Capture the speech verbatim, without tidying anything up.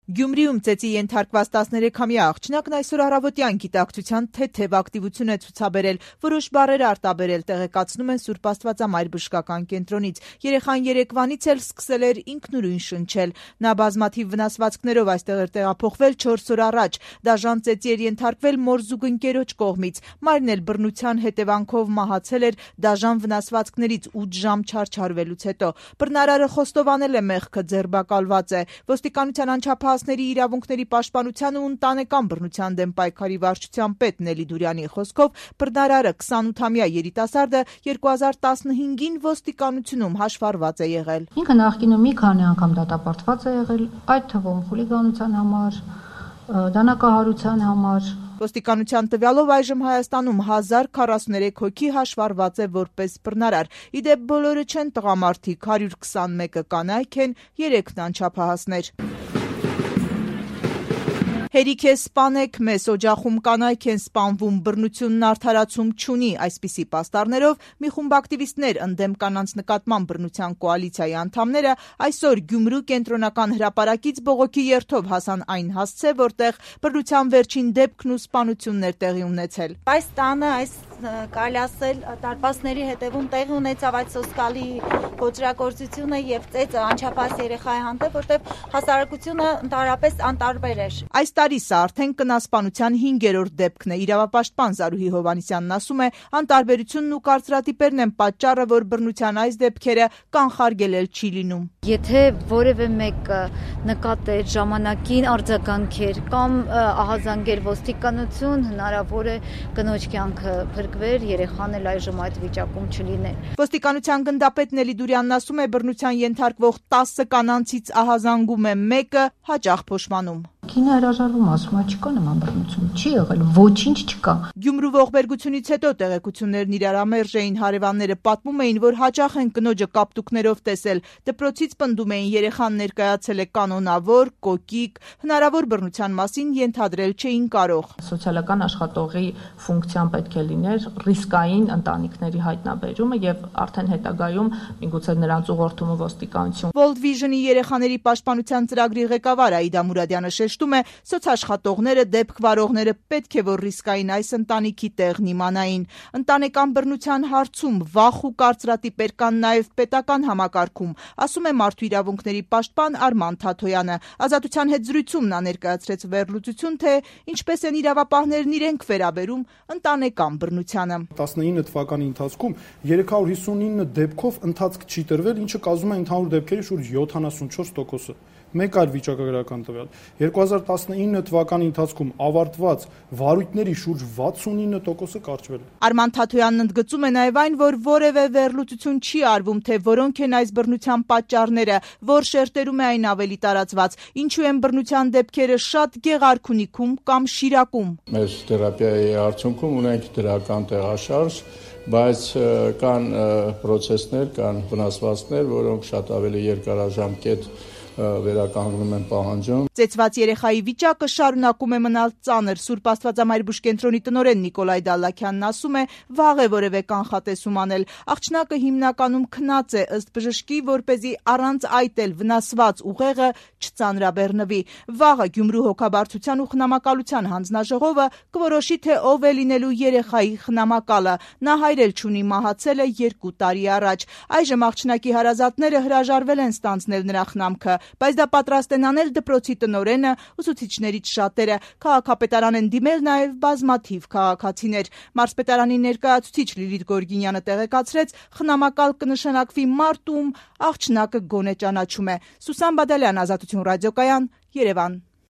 Գյումրիում ծեծի ենթարկված տասներեքամյա աղջնակն այսօր առավոտյան գիտակցության թեթև ակտիվություն է ցուցաբերել, որոշ բառեր արտաբերել, տեղեկացնում են Սուրբ Աստվածամայր բժշկական կենտրոնից։ Երեխան երեկվանից էլ սկսել էր ինքնուրույն շնչել։ Նա բազմաթիվ վնասվածքներով այստեղ էր տեղափոխվել չորս օր առաջ։ Դաժան ծեծի էր ենթարկվել մոր զուգընկերոջ կողմից։ Մայրն էլ բռնության հետևանքով մահացել էր դաժան վնասվածքներից ութ ժամ չարչարվելուց հետո։ Բռնարարը խոստովանել է մեղքը, ձերբակալված է։ Ոստիկանության անչափահասների իրավունքների պաշտպանության ու ընտանեկան բռնության դեմ պայքարի վարչության պետ Նելի Դուրյանի խոսքով բռնարարը քսանութամյա երիտասարդը երկու հազար տասնհինգին ոստիկանությունում հաշվառված է եղել։ Ինքը նախկինում մի քանի անգամ դատապարտված է եղել, այդ թվում խուլիգանության համար, դանակահարության համար։ Ոստիկանության տվյալով այժմ Հայաստանում հազար քառասուններեք հոգի հաշվառված է որպես բռնարար։ Ի դեպ բոլորը չեն տղամարդիկ, հարյուր քսանմեկը կանայք են, երեքն անչափահասներ։ Հերիք է սպանեք մեզ, օջախում կանայք են սպանվում, բռնությունն արդարացում չունի, այսպիսի պաստառներով մի խումբ ակտիվիստներ ընդդեմ կանանց նկատմամբ բռնության կոալիցիայի անդամները այսօր Գյումրու կենտրոնական հրապարակից բողոքի երթով հասան այն հասցե, որտեղ բռնության վերջին դեպքն ու սպանությունն էր տեղի ունեցել։ Այս տանը, այս կարելի ասել դարպասների հետևում տեղի ունեցավ այդ սոսկալի ոճրագործությունը եւ ծեծը անչափահաս երեխայի հանդեպ, որտեղ հասարակությունը ընդհանրապես անտարբեր էր։ Այս տարի սա արդեն կնասպանության հինգերորդ դեպքն է։ Իրավապաշտպան Զարուհի Հովհաննիսյանն ասում է, անտարբերությունն ու կարծրատիպերն են պատճառը, որ բռնության այս դեպքերը կանխարգելել չի լինում։ Եթե որևէ մեկը նկատեր ժամանակին արձագանքեր կամ ահազանգեր ոստիկանություն, հնարավոր է կնոջ կյանքը փրկվեր, երեխան էլ այժմ այդ վիճակում չլիներ։ Ոստիկանության գնդապետ Նելի Դուրյանն ասում է, բռնության ենթարկվող տասը կանանցից ահազանգում է մեկը, հաճախ փոշմանում։ Կինը հրաժարվում, ասում է, չկա նման բռնություն, չի եղել, ոչինչ չկա։ Գյումրու ողբերգությունից հետո տեղեկություններն իրարամերժ էին, հարևանները պատմում էին, որ հաճախ են կնոջը կապտուկներով տեսել, դպրոցից պնդում էին, երեխան ներկայացել է կանոնավոր, կոկիկ, հնարավոր բռնության մասին ենթադրել չէին կարող։ Սոցիալական աշխատողի ֆունկցիան պետք է լիներ ռիսկային ընտանիքների հայտնաբերումը եւ արդեն հետագայում միգուցե նրանց ուղղորդումը ոստիկանություն։ World Vision-ի երեխաների պաշտպանության ծրագրի ղեկավար Աիդա Մուրադյանը շեշտում է, սոցաշխատողները, դեպք վարողները պետք է որ ռիսկային այս ընտանիքի տեղն իմանային։ Ընտանեկան բռնության հարցում վախ ու կարծրատիպեր կան նաև պետական համակարգում, ասում է Մարդու իրավունքների պաշտպան Արման Թաթոյանը։ Ազատության հետ զրույցում նա ներկայացրեց վերլուծություն, թե ինչպես են իրավապահներն իրենք վերաբերում ընտանեկան բռնությանը։ տասնինը թվականի ընթացքում երեք հարյուր հիսունինը դեպքով ընթացք չի տրվել, ինչը կազմում է ընդհանուր դեպքերի շուրջ յոթանասունչորս տոկոսը։ Մեկ այլ վիճակագրական տվյալ։ երկու հազար տասնինը թվականի ընթացքում ավարտված վարույթների շուրջ վաթսունինը տոկոսը կարճվել է։ Արման Թաթոյանն ընդգծում է նաև այն, որ որևէ վերլուծություն չի արվում, թե որոնք են այս բռնության պատճառները, որ շերտերում է այն ավելի տարածված, ինչու են բռնության դեպքերը շատ Գեղարքունիքում կամ Շիրակում։ Մեր թերապիայի արդյունքում ունենք դրական տեղաշարժ, բայց կան պրոցեսներ, կան վնասվածքներ, որոնք շատ ավելի երկարաժամկետ վերականգնում են պահանջում։ Ծեծված երեխայի վիճակը շարունակում է մնալ ծանր։ Սուրբ Աստվածամայր բուժկենտրոնի տնօրեն Նիկոլայ Դալլաքյանն ասում է, վաղ է որևէ կանխատեսում անել։ Աղջնակը հիմնականում քնած է, ըստ բժշկի, որպեսզի առանց այդ էլ վնասված ուղեղը չծանրաբեռնվի։ Վաղը Գյումրու հոգաբարձության ու խնամակալության հանձնաժողովը կորոշի, թե ով է լինելու երեխայի խնամակալը։ Նա հայր էլ չունի, մահացել է երկու տարի առաջ։ Այժմ աղջնակի հարազատները հրաժարվել են ստանձնել նրա խնամքը, բայց դա պատրաստ են անել դպրոցի տնօրենը, ուսուցիչներից շատերը։ Քաղաքապետարան են դիմել նաև բազմաթիվ քաղաքացիներ։ Մարզպետարանի ներկայացուցիչ Լիլիթ Գորգինյանը տեղեկացրեց, խնամակալ կնշանակվի մարդ, ում աղջնակը գոնե ճանաչում է։ Սուսան Բադալյան, Ազատություն ռադիոկայան, Երևան։